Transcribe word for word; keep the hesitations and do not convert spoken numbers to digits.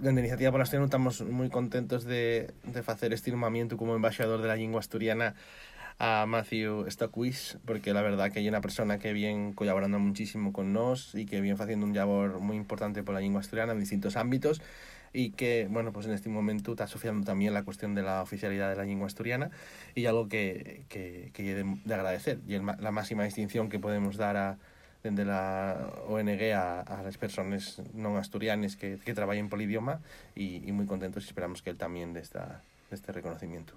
dende a Iniciativa pola Asturiana estamos moi contentos de, de facer este nomamiento como embaixador de la lingua asturiana a Matthew Stockwitz, porque la verdad que hay una persona que viene colaborando muchísimo con nos y que viene haciendo un labor muy importante por la lengua asturiana en distintos ámbitos, y que, bueno, pues en este momento está asociando también la cuestión de la oficialidad de la lengua asturiana, y algo que, que, que de, de agradecer, y el, la máxima distinción que podemos dar a desde la O N G a, a las personas no asturianas que, que trabajen por el idioma, y, y muy contentos, y esperamos que él también de, esta, de este reconocimiento.